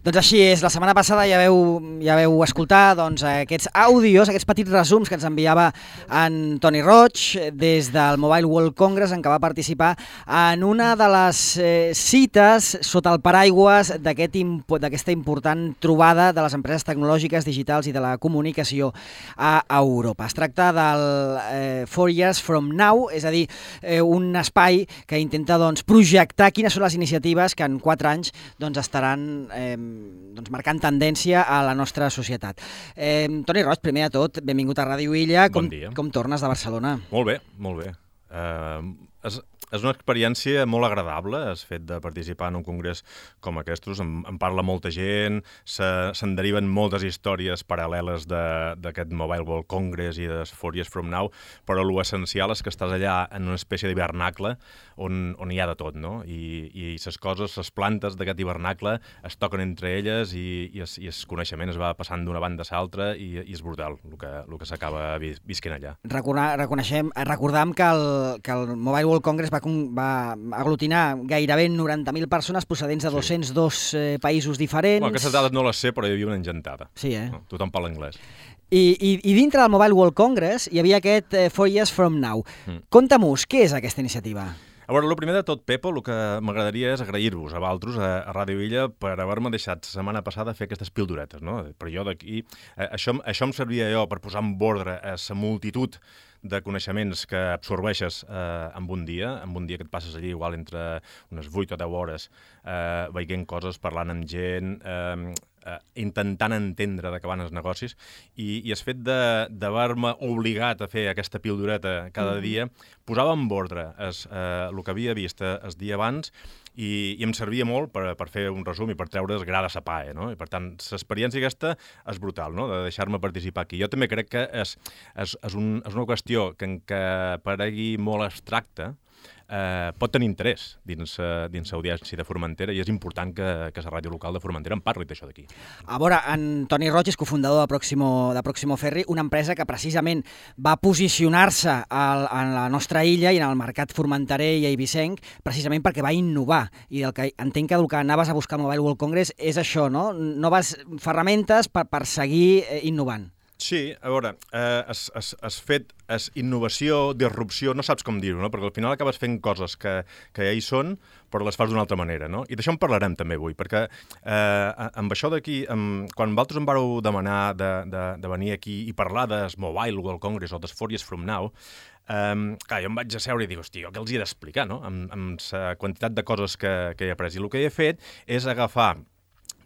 Doncs així és, la setmana passada ja veu escoltar aquests àudios, aquests petits resums que ens enviava en Toni Roig des del Mobile World Congress, en què va participar en una de les cites sota el paraigües d'aquesta important trobada de les empreses tecnològiques, digitals i de la comunicació a Europa. Es tracta del 4 Years From Now, és a dir, un espai que intenta projectar quines són les iniciatives que en 4 anys estaran marcant tendència a la nostra societat. Toni Roig, primer de tot, benvingut a Ràdio Illa. Bon dia. Com tornes de Barcelona? Molt bé, molt bé. És una experiència molt agradable, el fet de participar en un congrés com aquests. En parla molta gent, se'n deriven moltes històries paral·leles d'aquest Mobile World Congress i de 4 Years From Now, però l'essencial és que estàs allà en una espècie d'hivernacle on hi ha de tot, no? I les coses, les plantes d'aquest hivernacle es toquen entre elles i el coneixement es va passant d'una banda a l'altra i és brutal el que s'acaba visquent allà. Recordam que el Mobile World Congress va aglutinar gairebé 90.000 persones procedents de 202 països diferents. Aquestes dades no les sé, però hi havia una engentada. Sí, No, tothom parla anglès. I dintre del Mobile World Congress hi havia aquest 4 Years From Now. Conta-mos, què és aquesta iniciativa? A veure, el primer de tot, Pepo, el que m'agradaria és agrair-vos a vosaltres, a Ràdio Illa, per haver-me deixat la setmana passada fer aquestes pildoretes, no? Per jo d'aquí... Això em servia jo per posar en ordre a la multitud de coneixements que absorbeixes en un dia que et passes allí igual entre unes 8 o 10 hores veient coses, parlant amb gent, intentant entendre de què van els negocis i el fet d'haver-me obligat a fer aquesta pildoreta cada dia posava en ordre el que havia vist el dia abans i em servia molt per fer un resum i per treure el gra de sa pae, no? I per tant, l'experiència aquesta és brutal, no?, de deixar-me participar aquí. Jo també crec que és una qüestió que encara paregui molt abstracta, pot tenir interès dins l'audiència de Formentera i és important que la ràdio local de Formentera en parli d'això d'aquí. A veure, en Toni Roig és cofundador de Proximo Ferry, una empresa que precisament va posicionar-se en la nostra illa i en el mercat formenterer i eivissenc precisament perquè va innovar i entenc que el que anaves a buscar al Mobile World Congress és això, no? Noves ferramentes per seguir innovant. Sí, a veure, has fet innovació, disrupció, no saps com dir-ho, no? Perquè al final acabes fent coses que ja hi són, però les fas d'una altra manera, no? I d'això en parlarem també avui, perquè amb això d'aquí, quan vosaltres em vareu demanar de venir aquí i parlar del Mobile World Congress o del 4 Years From Now, jo em vaig asseure i dic, hòstia, què els hi he d'explicar, no? Amb la quantitat de coses que he après. I el que he fet és agafar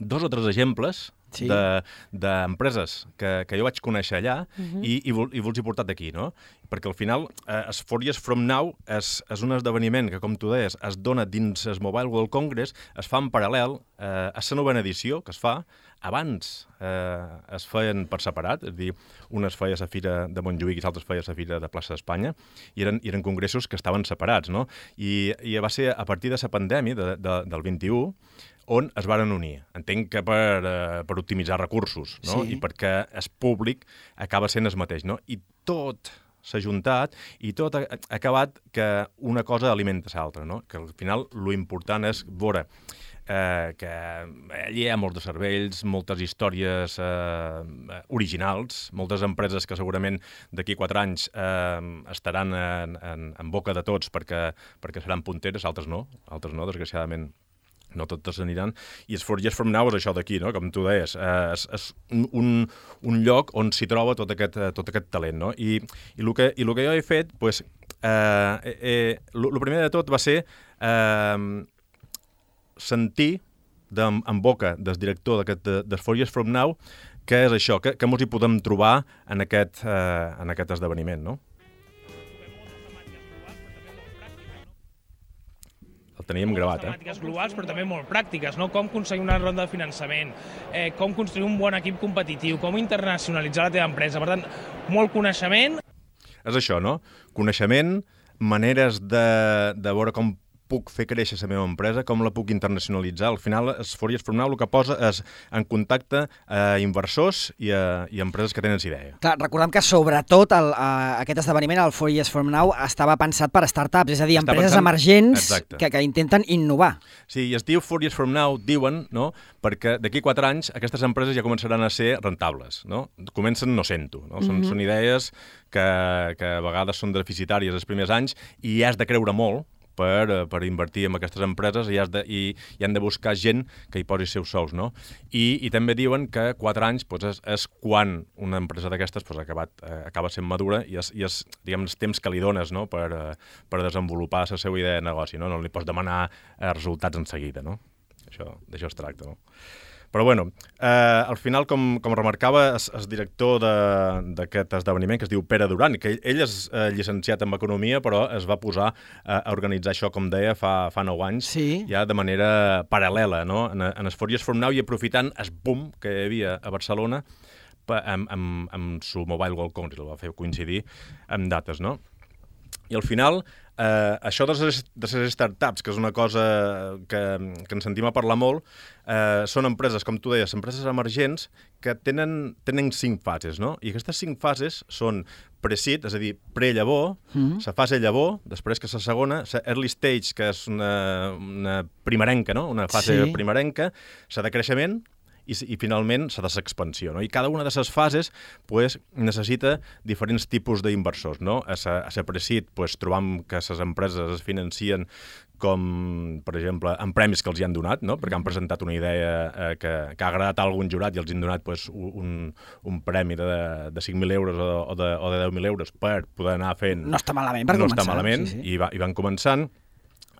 2 o 3 exemples d'empreses que jo vaig conèixer allà i vos he portat aquí, no? Perquè al final, el 4 Years From Now és un esdeveniment que, com tu deies, es dona dins el Mobile World Congress, es fa en paral·lel a la novena edició que es fa. Abans es feien per separat, és a dir, una es feia a la Fira de Montjuïc i l'altra es feia a la Fira de Plaça d'Espanya, i eren congressos que estaven separats, no? I va ser a partir de la pandèmia del 21 on es varen unir. Entenc que per optimitzar recursos, no? Sí. I perquè el públic acaba sent el mateix, no? I tot s'ha juntat i tot ha acabat que una cosa alimenta l'altra, no? Que al final l'important és veure que allí hi ha molts de cervells, moltes històries originals, moltes empreses que segurament d'aquí 4 anys estaran en boca de tots perquè seran punteres, altres no, desgraciadament. No totes aniran, i el 4 Years From Now és això d'aquí, no? Com tu deies, és un lloc on s'hi troba tot aquest talent, no? I el que jo he fet, doncs, el primer de tot va ser sentir en boca del director del 4 Years From Now què és això, que mos hi podem trobar en aquest esdeveniment, no? El teníem gravat, temàtiques globals, però també molt pràctiques, no? Com aconseguir una ronda de finançament, com construir un bon equip competitiu, com internacionalitzar la teva empresa. Per tant, molt coneixement. És això, no? Coneixement, maneres de veure com puc fer créixer la meva empresa, com la puc internacionalitzar. Al final, Fories from Now el que posa és en contacte a inversors i a empreses que tenen idea. Clar, recordem que sobretot aquest esdeveniment, el 4 Years from Now, estava pensat per startups, és a dir, empreses emergents que intenten innovar. Sí, i es diu 4 Years from Now, diuen, no? Perquè d'aquí 4 anys aquestes empreses ja començaran a ser rentables, no? Comencen no sent-ho, no? Són idees que a vegades són deficitàries els primers anys i has de creure molt per invertir en aquestes empreses i han de buscar gent que hi posi seus sous, no? I també diuen que 4 anys és quan una empresa d'aquestes acaba sent madura i és diguem, els temps que li dones, no? per desenvolupar la seva idea de negoci, no? No li pots demanar resultats en seguida, no? D'això es tracta, no? Però bueno, al final, com remarcava el director d'aquest esdeveniment, que es diu Pere Duran, que ell és llicenciat en Economia, però es va posar a organitzar això, com deia, fa 9 anys, ja de manera paral·lela, no? En els 4 Years from Now i aprofitant el boom que hi havia a Barcelona amb su Mobile World Congress, el va fer coincidir amb dates, no? I al final, això de les startups, que és una cosa que ens sentim a parlar molt, són empreses, com tu deies, empreses emergents que tenen 5 fases, no? I aquestes 5 fases són pre-seed, és a dir, pre-llavor, la fase llavor, després que la segona, la early stage, que és una primerenca, no? Una fase primerenca, la de creixement, i finalment la de l'expansió, no? I cada una de les fases necessita diferents tipus d'inversors, no? A la pre-seed trobam que les empreses es financien com, per exemple, amb premis que els hi han donat, no? Perquè han presentat una idea que ha agradat a algun jurat i els han donat un premi de 5.000 euros o de 10.000 euros per poder anar fent... No està malament per començar. No està malament, i van començant.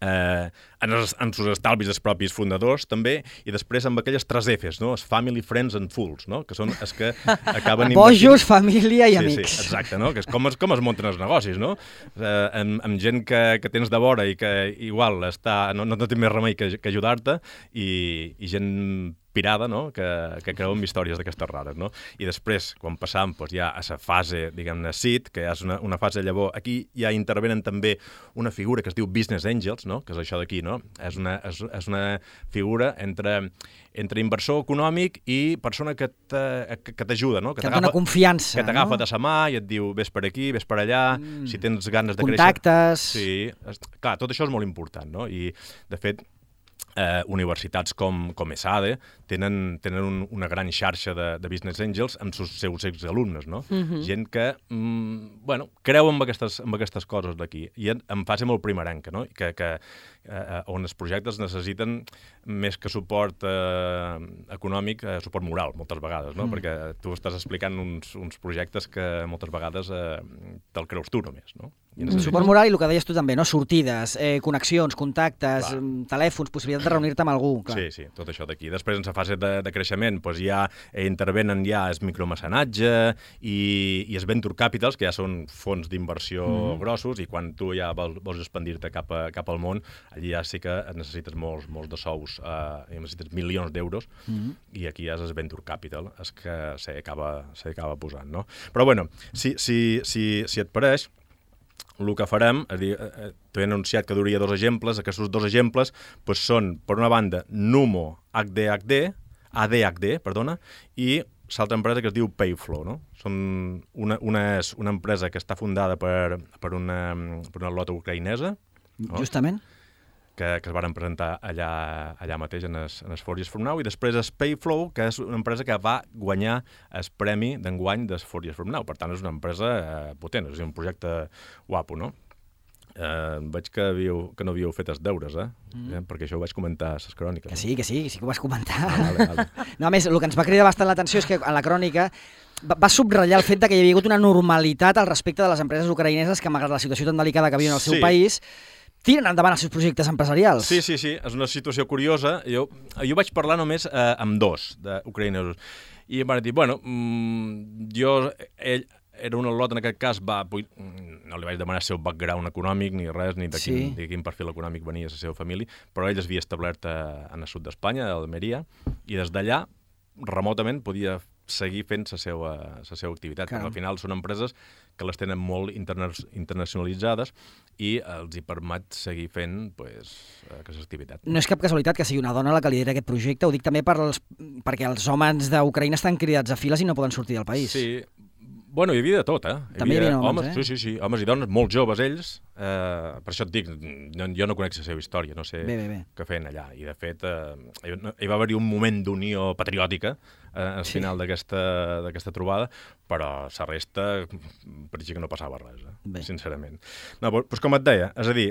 En els estalvis dels propis fundadors també, i després amb aquelles 3 Fs, no? Els family, friends and fools, no? Que són els que acaben bojos, família i amics. Sí, exacte, no? Que és com es munten els negocis, no? Amb gent que tens de vora i que igual no té més remei que ajudar-te, i gent pirada, no? Que creu en històries d'aquestes rares, no? I després, quan passam ja a la fase, diguem-ne, seed, que és una fase llavor, aquí ja intervenen també una figura que es diu Business Angels, no? Que és això d'aquí, no? És una figura entre inversor econòmic i persona que t'ajuda, no? Que et dona confiança, que t'agafa de la mà i et diu ves per aquí, ves per allà, si tens ganes de créixer... Contactes... Sí, clar, tot això és molt important, no? I, de fet, universitats com ESADE tenen una gran xarxa de Business Angels amb els seus exalumnes, no? Gent que, creu en aquestes coses d'aquí, i en fase molt primerenca, no? On els projectes necessiten més que suport econòmic, suport moral, moltes vegades, no? Perquè tu estàs explicant uns projectes que moltes vegades te'l creus tu només, no? Suport moral i el que deies tu també, no? Sortides, connexions, contactes, telèfons, possibilitat de reunir-te amb algú. Sí, tot això d'aquí. Després, en la fase de creixement, ja intervenen el micromecenatge i els venture capitals, que ja són fons d'inversió grossos, i quan tu ja vols expandir-te cap al món, allí ja sí que necessites molts de sous, necessites milions d'euros, i aquí ja és el venture capital el que s'acaba posant, no? Però, bueno, si et pareix, el que farem, és dir, t'he anunciat que duria 2 exemples, aquests 2 exemples són, per una banda, Numo ADHD, i l'altra empresa que es diu Payflow, no? Una és una empresa que està fundada per una lota ucraïnesa, no? Justament. Que es van presentar allà mateix en els 4 Years from Now, i després és Payflow, que és una empresa que va guanyar el premi d'enguany dels 4 Years from Now. Per tant, és una empresa potent, és un projecte guapo, no? Veig que no havíeu fet els deures, perquè això ho vaig comentar a les cròniques. Que sí que ho vas comentar. Vale. No, a més, el que ens va cridar bastant l'atenció és que a la crònica va subratllar el fet que hi havia hagut una normalitat al respecte de les empreses ucraïneses que, malgrat la situació tan delicada que viuen al seu país, tiren endavant els seus projectes empresarials. Sí, és una situació curiosa. Jo vaig parlar només amb 2 d'ucraïnesos, i em van dir, ell era un al·lot, en aquest cas, no li vaig demanar el seu background econòmic ni res, ni de quin perfil econòmic venia la seva família, però ell es havia establert en el sud d'Espanya, a Almeria, i des d'allà remotament podia seguir fent la seva activitat. Perquè al final són empreses que les tenen molt internacionalitzades i els hi permet seguir fent aquesta activitat. No és cap casualitat que sigui una dona la que lidera aquest projecte, ho dic també perquè els homes d'Ucraïna estan cridats a files i no poden sortir del país. Sí, bueno, hi havia de tot, També hi havia homes, Sí, homes i dones, molt joves ells, per això et dic, jo no conec la seva història, no sé què feien allà, i de fet hi va haver-hi un moment d'unió patriòtica al final d'aquesta trobada, però la resta pareixia que no passava res, sincerament. No, doncs com et deia, és a dir,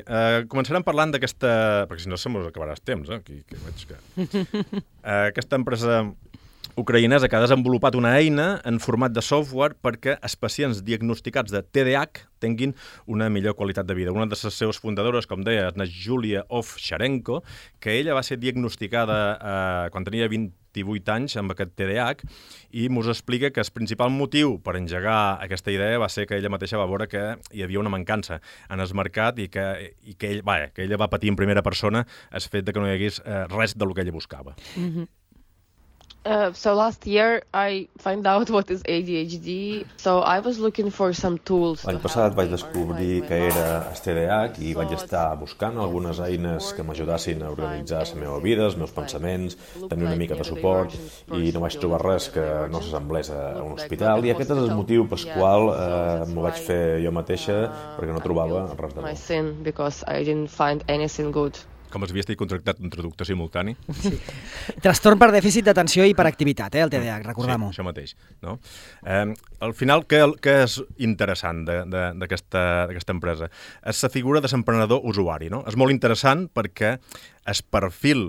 començarem parlant d'aquesta, perquè si no se mos acabarà el temps, aquí veig que... Aquesta empresa ucraïnesa que ha desenvolupat una eina en format de software perquè els pacients diagnosticats de TDAH tinguin una millor qualitat de vida. Una de les seves fundadores, com deia, és Julia Ovcharenko, que ella va ser diagnosticada quan tenia 28 anys amb aquest TDAH i mos explica que el principal motiu per engegar aquesta idea va ser que ella mateixa va veure que hi havia una mancança en el mercat i que ella va patir en primera persona el fet de que no hi hagués res del que ella buscava. So last year I found out what is ADHD, so I was looking for some tools. L'any passat vaig descobrir que era el TDAH i vaig estar buscant algunes eines que m'ajudassin a organitzar la meva vida, els meus pensaments, tenir una mica de suport i no vaig trobar res que no s'assemblés a un hospital i aquest és el motiu pel qual m'ho vaig fer jo mateixa perquè no trobava res de bo. Because I didn't find anything good. Com es havia estat contractat un traductor simultani. Sí. Trastorn per dèficit d'atenció i hiperactivitat, el TDAH, recordem-ho. Sí, això mateix. No? Al final, què és interessant d'aquesta empresa? És la figura de l'emprenedor usuari. No? És molt interessant perquè el perfil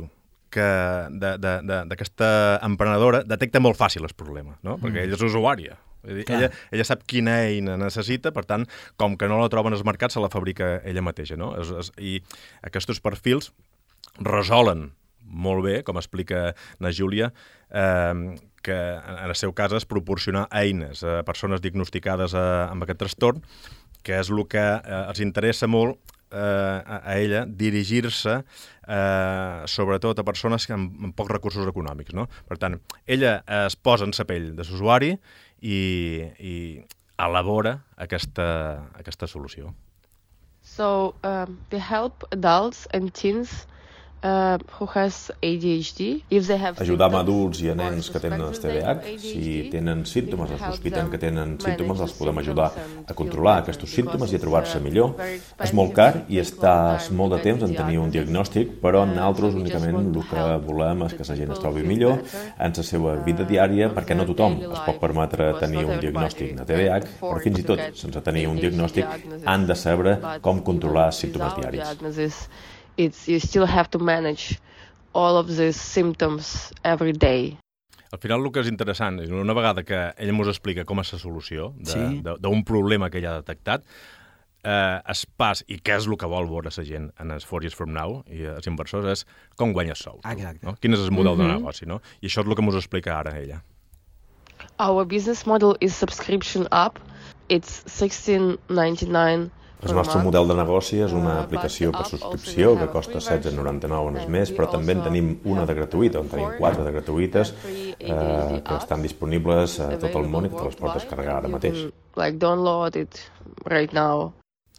d'aquesta emprenedora detecta molt fàcil el problema, no? Perquè ella és usuària. Ella sap quina eina necessita, per tant, com que no la troben als mercats, se la fabrica ella mateixa, no? I aquests perfils resolen molt bé, com explica la Júlia, que en el seu cas és proporcionar eines a persones diagnosticades amb aquest trastorn, que és el que els interessa molt a ella dirigir-se sobretot a persones amb pocs recursos econòmics, no? Per tant, ella es posa en la pell de l'usuari i elabora aquesta solució. So, we help adults and teens who has ADHD. Ajudam adults i a nens que tenen el TDAH. Si tenen símptomes o sospiten que tenen símptomes, els podem ajudar a controlar aquests símptomes i a trobar-se millor. És molt car i estàs molt de temps en tenir un diagnòstic, però nosaltres únicament el que volem és que la gent es trobi millor en la seva vida diària, perquè no tothom es pot permetre tenir un diagnòstic de TDAH, però fins i tot, sense tenir un diagnòstic, han de saber com controlar els símptomes diaris. You still have to manage all of these symptoms every day. Al final el que és interessant és una vegada que ella ens explica com és la solució d'un problema que ella ha detectat, es pas i què és el que vol veure la gent en els 4 Years From Now i els inversors és com guanyes sous. No? Quin és el model de negoci, no? I això és el que ens explica ara ella. Our business model is subscription app. It's $16.99. El nostre model de negoci és una aplicació per subscripció que costa $16.99 en el mes, però també en tenim una de gratuïta, on tenim 4 de gratuïtes que estan disponibles a tot el món i que te les pots descarregar ara mateix. Download it right now.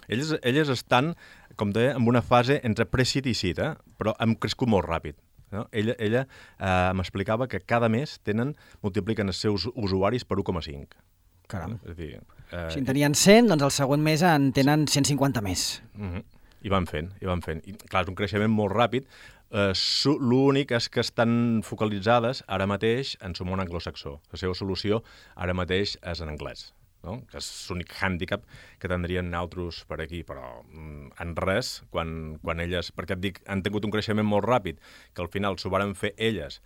Elles estan, com deia, en una fase entre pre-seed i seed, però hem crescut molt ràpid. No? Ella m'explicava que cada mes multipliquen els seus usuaris per 1,5. Caram. És a dir, si en tenien 100, doncs el següent mes en tenen 150 més. I van fent. I, clar, és un creixement molt ràpid. L'únic és que estan focalitzades ara mateix en el món anglosaxó. La seva solució ara mateix és en anglès, no? Que és l'únic hàndicap que tindrien altres per aquí, però en res, quan elles, perquè et dic, han tingut un creixement molt ràpid, que al final s'ho varen fer elles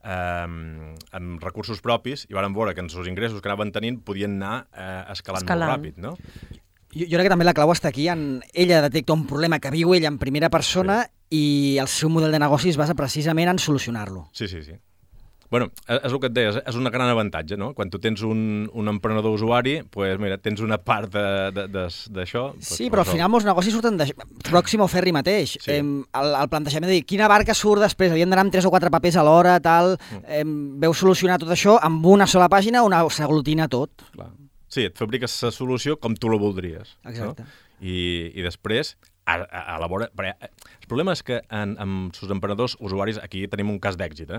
amb recursos propis i varen veure que els ingressos que anaven tenint podien anar escalant molt ràpid, no? Jo crec que també la clau està aquí en ella detecta un problema que viu ella en primera persona i el seu model de negoci es basa precisament en solucionar-lo. Sí. Bueno, és el que et deia, és un gran avantatge, no? Quan tu tens un emprenedor usuari, pues, mira, tens una part d'això... Sí, però al final molts negocis surten de Proximo Ferry mateix. Sí. El plantejament de dir, quina barca surt després, havien d'anar amb 3 o 4 papers a l'hora, tal... Veu solucionar tot això amb una sola pàgina on s'aglutina tot. Clar. Sí, et fabriques la solució com tu la voldries. Exacte. No? I després, a la vora... El problema és que amb els emprenedors usuaris, aquí tenim un cas d'èxit,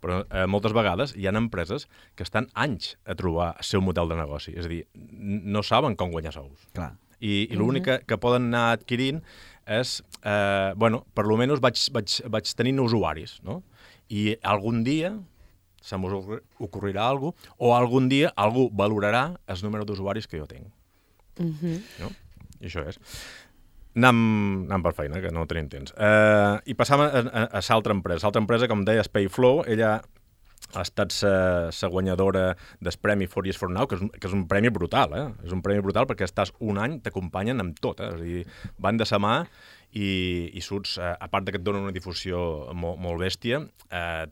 però moltes vegades hi ha empreses que estan anys a trobar el seu model de negoci. És a dir, no saben com guanyar sous. Clar. I l'únic que poden anar adquirint és, per lo menos vaig tenint usuaris, no? I algun dia se m'ocorrirà alguna cosa, o algun dia algú valorarà el número d'usuaris que jo tinc. No? I això és. Anem per feina, que no tenim temps. I passam a l'altra empresa. L'altra empresa, com deia, Payflow, ella ha estat la guanyadora del premi 4 Years From Now, que és un premi brutal, És un premi brutal perquè estàs un any, t'acompanyen amb tot, És a dir, van de sa mà i surts, a part que et donen una difusió molt bèstia,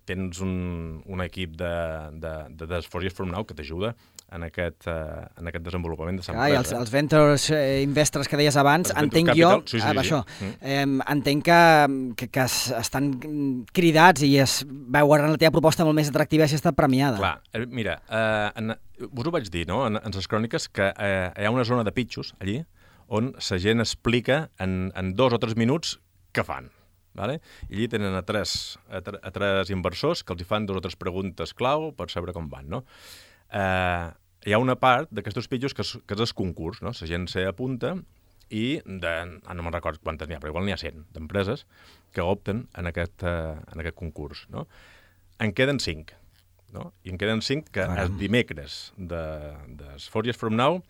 tens un equip de 4 Years From Now que t'ajuda en aquest desenvolupament de l'empresa. Els ventures investors que deies abans, entenc jo, això, entenc que estan cridats i es veuen la teva proposta molt més atractiva si ha estat premiada. Clar, mira, us ho vaig dir, no?, en les cròniques, que hi ha una zona de pitxos allí on la gent explica en 2 o 3 minuts què fan. Vale? I allí tenen a tres inversors que els fan 2 o 3 preguntes clau per saber com van, no? Hi ha una part d'aquests pitjos que és el concurs, no? La gent s'apunta i no me'n recordo quantes n'hi ha, però igual n'hi ha 100 d'empreses que opten en aquest concurs, no? En queden 5, no? I en queden 5 que els dimecres de 4 Years From Now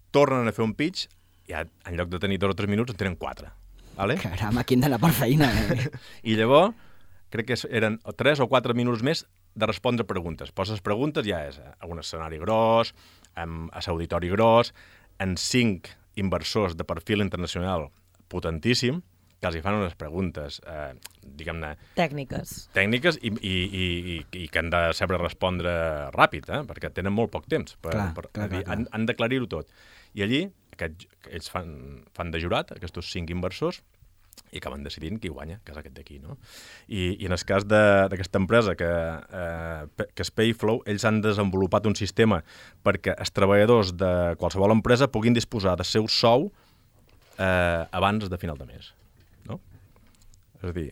tornen a fer un pitch i en lloc de tenir 2 o 3 minuts en tenen 4. Vale? Caram, aquí hem d'anar per feina. I llavors, crec que eren 3 o 4 minuts més de respondre preguntes. Poses preguntes, ja és a un escenari gros, a l'auditori gros, en 5 inversors de perfil internacional potentíssim, que els hi fan unes preguntes, diguem-ne... Tècniques i que han de saber respondre ràpid, perquè tenen molt poc temps. Han d'aclarir-ho tot. I allí, ells fan de jurat, aquests 5 inversors, i acaben decidint qui guanya, que és aquest d'aquí, no? I en el cas d'aquesta empresa, que és Payflow, ells han desenvolupat un sistema perquè els treballadors de qualsevol empresa puguin disposar del seu sou abans de final de mes, no? És a dir,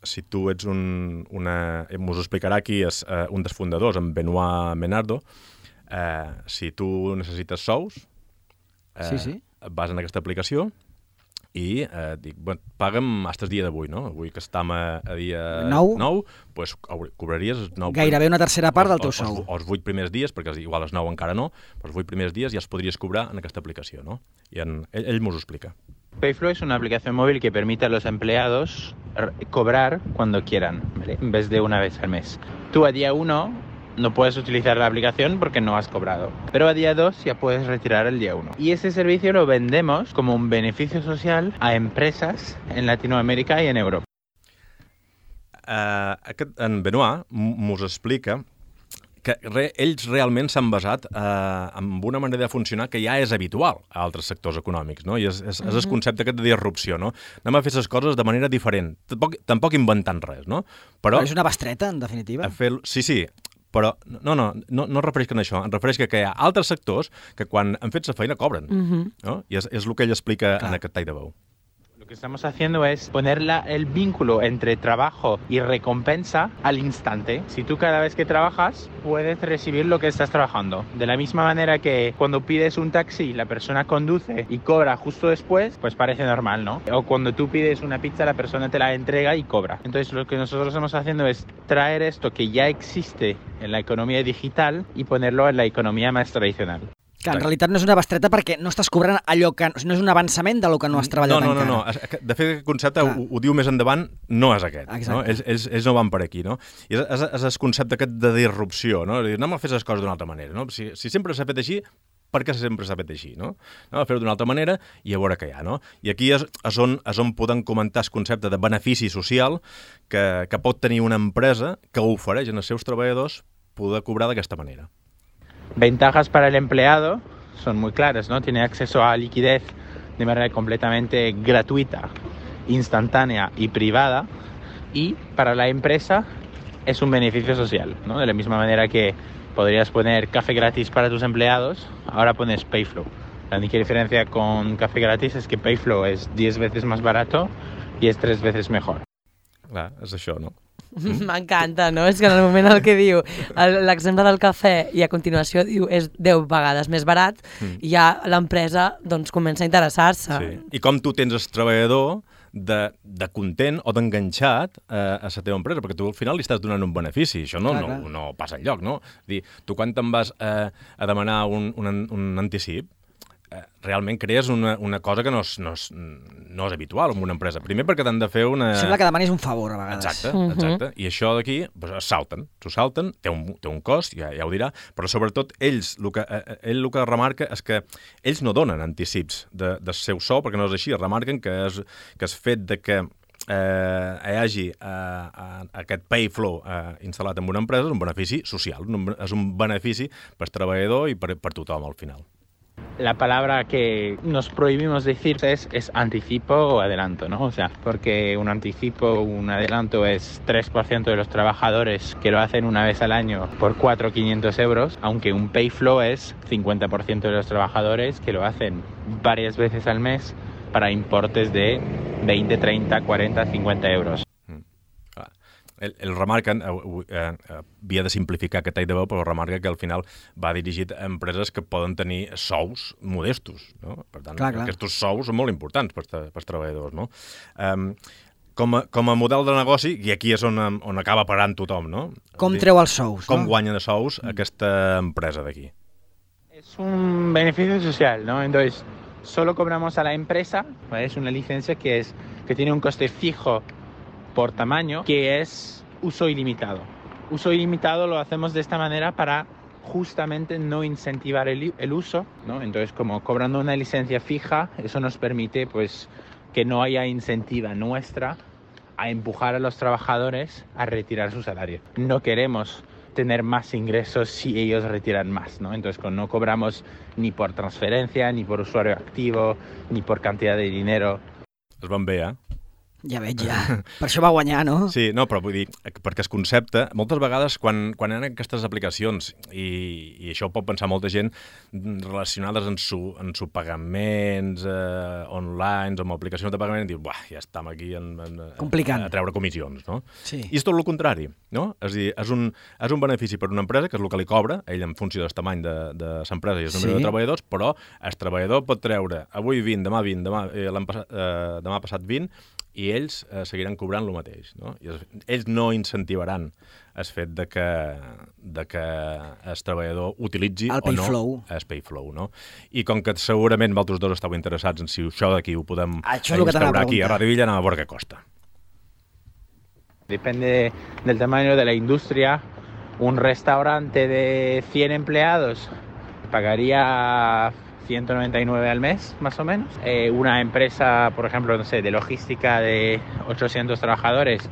si tu ets m'ho explicarà aquí un dels fundadors, en Benoit Menardo, si tu necessites sous, vas en aquesta aplicació i dic, paga'm fins el dia d'avui, no? Avui que estem a dia 9, doncs cobraries els 9... Gairebé una tercera part del teu sou. O els 8 primers dies, perquè igual els 9 encara no, però els 8 primers dies ja els podries cobrar en aquesta aplicació, no? I ell m'ho explica. Payflow es una aplicación móvil que permite a los empleados cobrar cuando quieran, ¿vale? En vez de una vez al mes. Tú a día 1 no puedes utilizar la aplicación porque no has cobrado, pero a día 2 ya puedes retirar el día 1. Y ese servicio lo vendemos como un beneficio social a empresas en Latinoamérica y en Europa. En Benoit mos explica que ells realment s'han basat en una manera de funcionar que ja és habitual a altres sectors econòmics, no? I és el concepte aquest de disrupció, no? Anem a fer les coses de manera diferent, tampoc inventant res, no? Però és una bestreta, en definitiva. Sí, però no refereix a això, em refereix que hi ha altres sectors que quan han fet la feina cobren, no? I és el que ell explica en aquest tall de veu. Lo que estamos haciendo es poner el vínculo entre trabajo y recompensa al instante. Si tú cada vez que trabajas puedes recibir lo que estás trabajando. De la misma manera que cuando pides un taxi la persona conduce y cobra justo después, pues parece normal, ¿no? O cuando tú pides una pizza la persona te la entrega y cobra. Entonces lo que nosotros estamos haciendo es traer esto que ya existe en la economía digital y ponerlo en la economía más tradicional. Que en realitat no és una bestreta perquè no estàs cobrant allò que... No és un avançament del que no has treballat encara. No. De fet, aquest concepte ho diu més endavant, no és aquest. No? Ells no van per aquí, no? I és el concepte aquest de disrupció, no? Anem a fer les coses d'una altra manera, no? Si sempre s'ha fet així, perquè sempre s'ha fet així, no? A fer-ho d'una altra manera i a veure què hi ha, no? I aquí és on podem comentar el concepte de benefici social que pot tenir una empresa que ofereix als seus treballadors poder cobrar d'aquesta manera. Ventajas para el empleado son muy claras, ¿no? Tiene acceso a liquidez de manera completamente gratuita, instantánea y privada, y para la empresa es un beneficio social, ¿no? De la misma manera que podrías poner café gratis para tus empleados, ahora pones Payflow. La única diferencia con café gratis es que Payflow es 10 veces más barato y es 3 veces mejor. Clar, és això, no? M'encanta, no? És que en el moment en què diu l'exemple del cafè i a continuació diu és 10 vegades més barat, ja l'empresa doncs, comença a interessar-se. Sí. I com tu tens el treballador de content o d'enganxat a la teva empresa, perquè tu al final li estàs donant un benefici. Això no passa enlloc, no? Dir, tu quan te'n vas a demanar un anticip, realment crees una cosa que no és habitual en una empresa. Primer perquè t'han de fer una... Sembla que demanis un favor a vegades. Exacte. I això d'aquí s'ho salten, té un cost, ja ho dirà, però sobretot ell el que remarca és que ells no donen anticips del seu sou, perquè no és així, remarquen que és fet de que hi hagi aquest Payflow instal·lat en una empresa és un benefici social, és un benefici per treballador i per tothom al final. La palabra que nos prohibimos decir es anticipo o adelanto, ¿no? O sea, porque un anticipo, un adelanto es 3% de los trabajadores que lo hacen una vez al año por 4.500 euros, aunque un Payflow es 50% de los trabajadores que lo hacen varias veces al mes para importes de 20, 30, 40, 50 euros. El remarquen, havia de simplificar aquest tall de veu, però remarca que al final va dirigit a empreses que poden tenir sous modestos, no? Per tant, aquests sous són molt importants pels treballadors, no? Com a model de negoci, i aquí és on acaba parant tothom, no? Com treu els sous, no? Com guanya de sous aquesta empresa d'aquí? Es un beneficio social, ¿no? Entonces, solo cobramos a la empresa, ¿vale? Es una licencia que tiene un coste fijo por tamaño, que es uso ilimitado. Uso ilimitado lo hacemos de esta manera para justamente no incentivar el uso, ¿no? Entonces, como cobrando una licencia fija, eso nos permite pues que no haya incentiva nuestra a empujar a los trabajadores a retirar su salario. No queremos tener más ingresos si ellos retiran más, ¿no? Entonces, no cobramos ni por transferencia, ni por usuario activo, ni por cantidad de dinero. Es van bé, Ja veig, ja. Per això va guanyar, no? Sí, no, però vull dir, perquè el concepte, moltes vegades quan hi ha aquestes aplicacions, i això ho pot pensar molta gent, relacionades amb pagaments online o amb aplicacions de pagament, diu, ja estem aquí a treure comissions, no? Sí. I és tot el contrari, no? És a dir, és un benefici per una empresa, que és el que li cobra, ell en funció del tamany de l'empresa i el número de treballadors, però el treballador pot treure avui 20, demà 20, demà passat 20, i ells seguiran cobrant el mateix, no? I ells no incentivaran el fet de que el treballador utilitzi o no el Payflow, no? I com que segurament vosaltres dos esteu interessats en si això d'aquí ho podem instaurar aquí a Radio Villa, anem a veure què costa. Depende del tamaño de la industria. Un restaurante de 100 empleados pagaría 199 al mes, más o menos. Una empresa, por ejemplo, no sé, de logística de 800 trabajadores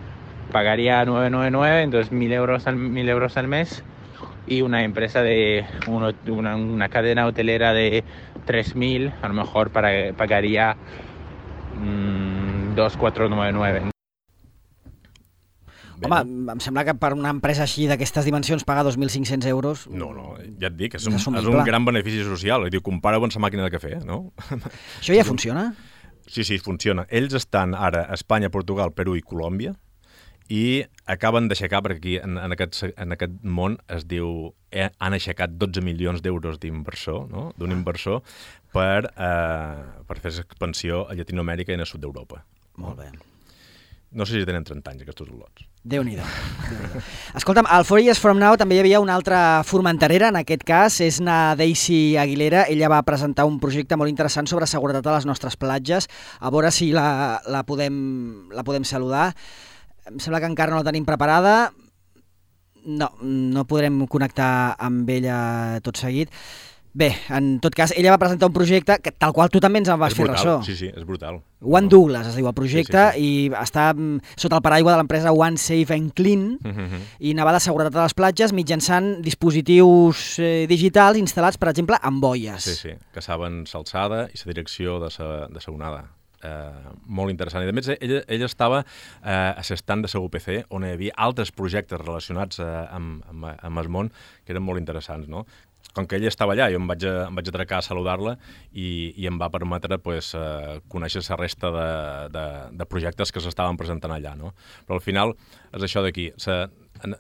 pagaría 999, entonces 1.000 euros al mes. Y una empresa de una cadena hotelera de 3.000, a lo mejor pagaría 2.499. Home, em sembla que per una empresa així d'aquestes dimensions pagar 2.500 euros... No, ja et dic, és un gran benefici social. Compara-ho amb la màquina de cafè, no? Això ja funciona? Sí, funciona. Ells estan ara a Espanya, Portugal, Perú i Colòmbia i acaben d'aixecar, perquè aquí en aquest món es diu han aixecat 12 milions d'euros d'inversor, no? D'un inversor per fer expansió a Llatinoamèrica i en el sud d'Europa. Molt bé. No sé si tenen 30 anys, aquests lots. Déu-n'hi-do. Escolta'm, al 4 Years From Now també hi havia una altra formenterera, en aquest cas, és na Daisy Aguilera. Ella va presentar un projecte molt interessant sobre seguretat a les nostres platges. A veure si la podem saludar. Em sembla que encara no la tenim preparada. No podrem connectar amb ella tot seguit. Bé, en tot cas, ella va presentar un projecte que, tal qual tu també ens en vas fer ressò. Sí, és brutal. One Douglas es diu el projecte, i està sota el paraigua de l'empresa One Safe and Clean, i anava de seguretat a les platges mitjançant dispositius digitals instal·lats, per exemple, en boies. Sí, que saben l'alçada i la direcció de la onada. Molt interessant. I a més, ella estava a l'estand de la UPC, on hi havia altres projectes relacionats amb el món que eren molt interessants, no? Com que ella estava allà, jo em vaig atracar a saludar-la i em va permetre conèixer la resta de projectes que s'estaven presentant allà, no? Però al final és això d'aquí. La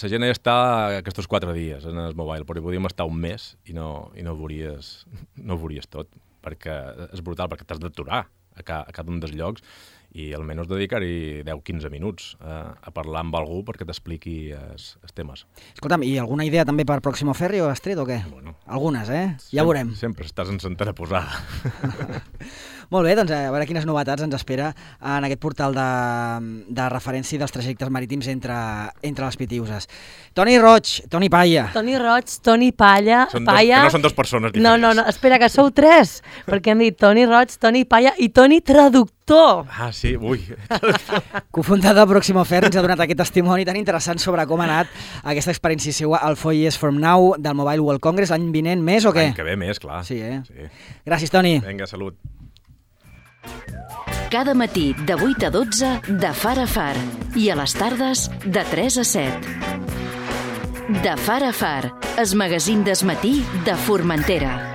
gent allà està aquests 4 dies en el mobile, però hi podíem estar un mes i no ho veuries tot, perquè és brutal, perquè t'has d'aturar a cada un dels llocs i almenys dedicar-hi 10-15 minuts a parlar amb algú perquè t'expliqui els temes. Escolta'm, i alguna idea també per Próximo Ferry o Astrid o què? Bueno, algunes, ja veurem. Sempre estàs en centera posada. Molt bé, doncs a veure quines novetats ens espera en aquest portal de referència dels trajectes marítims entre les Pitiuses. Toni Roig, Toni Palla. Toni Roig, Toni Palla. Que no són 2 persones diferents. No, espera, que sou 3, perquè hem dit Toni Roig, Toni Palla i Toni Traductor. Ah, sí, ui. Cofundador de Próximo Ferry, ens ha donat aquest testimoni tan interessant sobre com ha anat aquesta experiència seua al 4 Years From Now del Mobile World Congress. L'any vinent més o què? L'any que ve més, clar. Sí, Sí. Gràcies, Toni. Vinga, salut. Cada matí de 8 a 12 de Far a Far i a les tardes de 3 a 7. De Far a Far, el magazín del matí de Formentera.